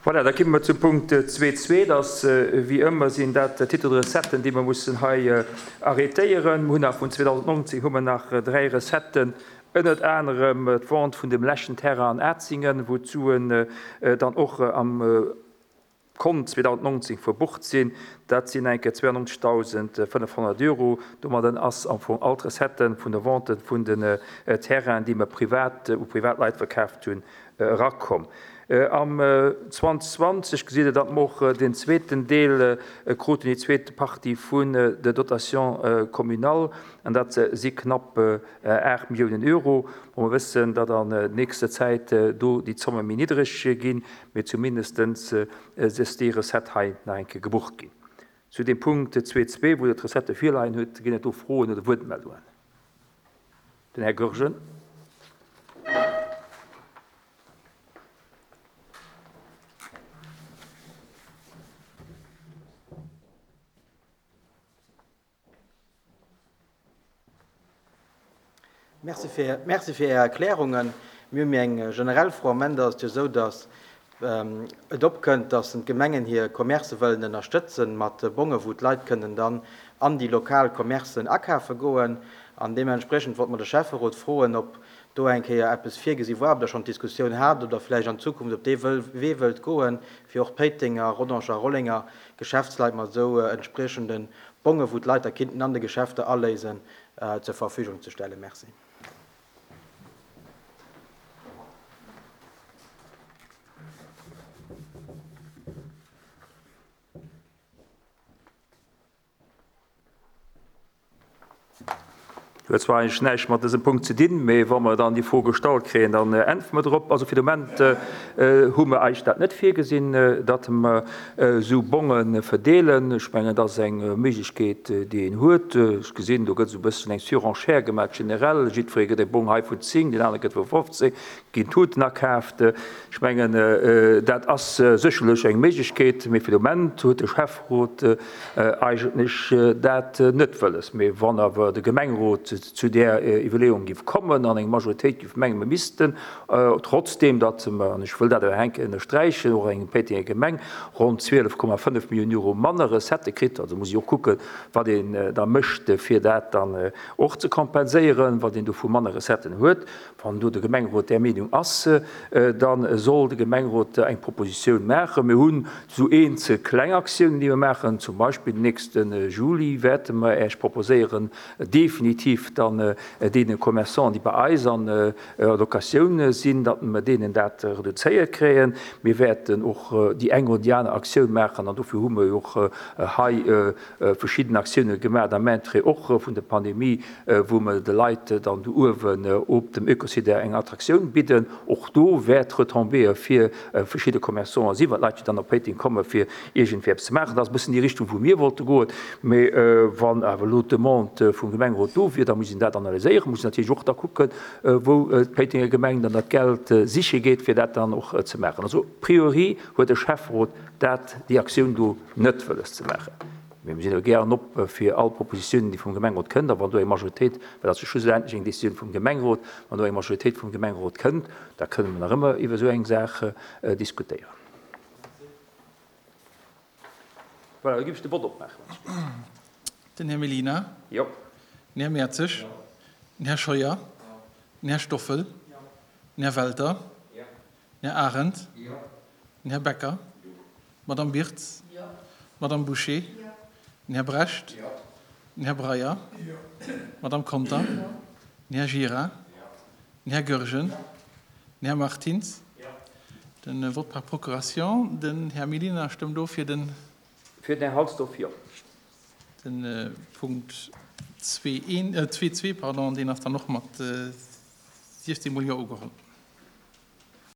Voilà, da komme mer zum Punkt 2.2. Dat, wéi ëmmer, sinn dat Titres de recetten, déi mer mussen hei arrétéieren. Mer hunn nach vun 2019 hu mer nach dräi Recetten, ënnert anerem d'Vente vun dem leschten Terrain an Atzingen, wou d'Suen dann och am Kont 2019 verbucht sinn. Dat sinn eng Kéier 92.500 Euro. Domadden ass am Fong all d'Recette vun der Vente vun den Terrainen, déi mer privat u privat Leit verkaaft hunn, erakomm. Am 2020 gesitt Der, datt mer och den zweeten Deel kruten, déi zweet Partie vun der Dotation communale, an dat si knapp 8 Milliounen Euro. Bon, mer wëssen, datt an nächster Zäit do déi Zomme méi niddreg ginn, mee zumindestens ass déi Recette hei nach eng Kéier gebucht ginn. Zu deem Punkt 2.2, wou Der d'Recettë virleien hutt, ginn et do Froen oder Wuertmeldungen? Den Här Goergen. Merci fir, merci fir Är Erklärungen. Mir hu méi eng generell Fro. Am Ende ass et jo esou, datt et opkënnt, datt d'Gemengen hir Commercë wëllen ënnerstëtzen mat Bonge wou d'Leit kënnen dann an déi lokal Commercen akafe goen. An deementspriechend wollte mer de Schäfferot froen, ob do eng Kéier eppes virgesi war, ob Der schonn d'Diskussioun hat oder vläicht an Zukunft op dee Wee wëllt goen, fir och d'Péitenger, Rodanger a Rollenger Geschäftsleit mat esou entspriechende Bonge wou d'Leit da kinnten an de Geschäfter aléisen, zur Verfügung ze stellen. Merci. Huet zwar eigentlech näischt mat dësem Punkt ze dinn, mee wa mer dann déi Fro gestallt kréien, dann äntwere mer drop. Also fir de Moment hu mer eigentlech dat net virgesinn, datt mer esou Bonge verdeelen. Ech mengen, dat ass eng Méiglechkeet, déi een huet. Ech gesinn, do gëtt esou e bësschen eng Surenchère gemaach generell. Jiddweree gëtt e Bong hei vun 10, deen anere gëtt vu 15, ginn Tuten akaaft. Ech mengen, dat ass sécherlech eng Méiglechkeet, mee fir de Moment huet de Schäfferot eigentlech dat net wëlles. Mee wann awer de Gemengerot zu där Iwwerleeung géif kommen an eng Majoritéit géif mengen, mer missten, Trotzdeem datt mer, an ech wëll dat awer enk ënnersträichen, och eng Péitenger Gemeng ronn 12,5 Milliounen Euro manner Recettë kritt, also muss ee och kucken, wat een da mécht, fir dat dann och ze kompenséieren, wat een do vu manner Recetten huet. Wann do de Gemengerot där Meenung ass, da soll de Gemengerot eng Propositioun maachen. Mir hunn esou eenzel kleng Aktiounen, déi mer maachen. Zum Beispill den nächste Juli wäerte mer Äech proposéieren, definitiv dann deene Commerçanten, déi bei eis an Locatioun sinn, datt mer deenen dat reduzéiert kréien. Mir wäerten och déi eng oder déi aner Aktioun maachen an dofir hu mer jo och hei verschidden Aktioune gemaach am Entrée och vun der Pandemie, wou mer de Leit dann do uewen op dem Oekosite eng Attraktioun bidden. Och do wäert Retombéeë fir verschidde Commerçanten sinn, well d'Leit jo dann op Péiteng komme fir iergendwéi eppes ze maachen. Dat ass e bëssen déi Richtung, wou mir wollte goen. Mee wann awer elo d'Demande vum Gemengerot do wier, da muss een dat analyséieren, muss een natierlech och da kucken, wou d'Péitenger Gemeng dann dat Geld siche geet, fir dat dann och ze maachen. Also a priori huet de Schäfferot dat, déi Aktioun do net wëlles ze maachen. Mee mir sinn awer gären op fir all Propositiounen, déi vum Gemengerot kënnt. A wann do eng Majoritéit, well dat ass jo schlussendlech eng Décisioun vum Gemengerot, wann do eng Majoritéit vum Gemengerot kënnt, da kënne mer nach ëmmer iwwer esou eng Saach diskutéieren. Voilà, da géif ech de Vott opmaachen. Den Här Mellina. Jo. Den Här Mertzig. Jo. Den Här Scheuer. Jo. Den Här Stoffel. Jo. Den Här Welter. Jo. Den Här Arendt. Jo. Den Här Becker. Jo. D'Madame Birtz. Jo. D'Madame Bouché. Jo. Den Här Brecht. Jo. Den Här Breyer. Jo. D'Madame Conter. Jo. Den Här Gira. Jo. Den Här Goergen. Jo. Den Här Martins. Jo. Den Vote par procuration. Den Här Mellina stëmmt of fir den. Fir den Här Halsdorf, jo. Den Punkt 2.1, 2.2, pardon, deen ass dann och mat 16 mol Jo ugeholl.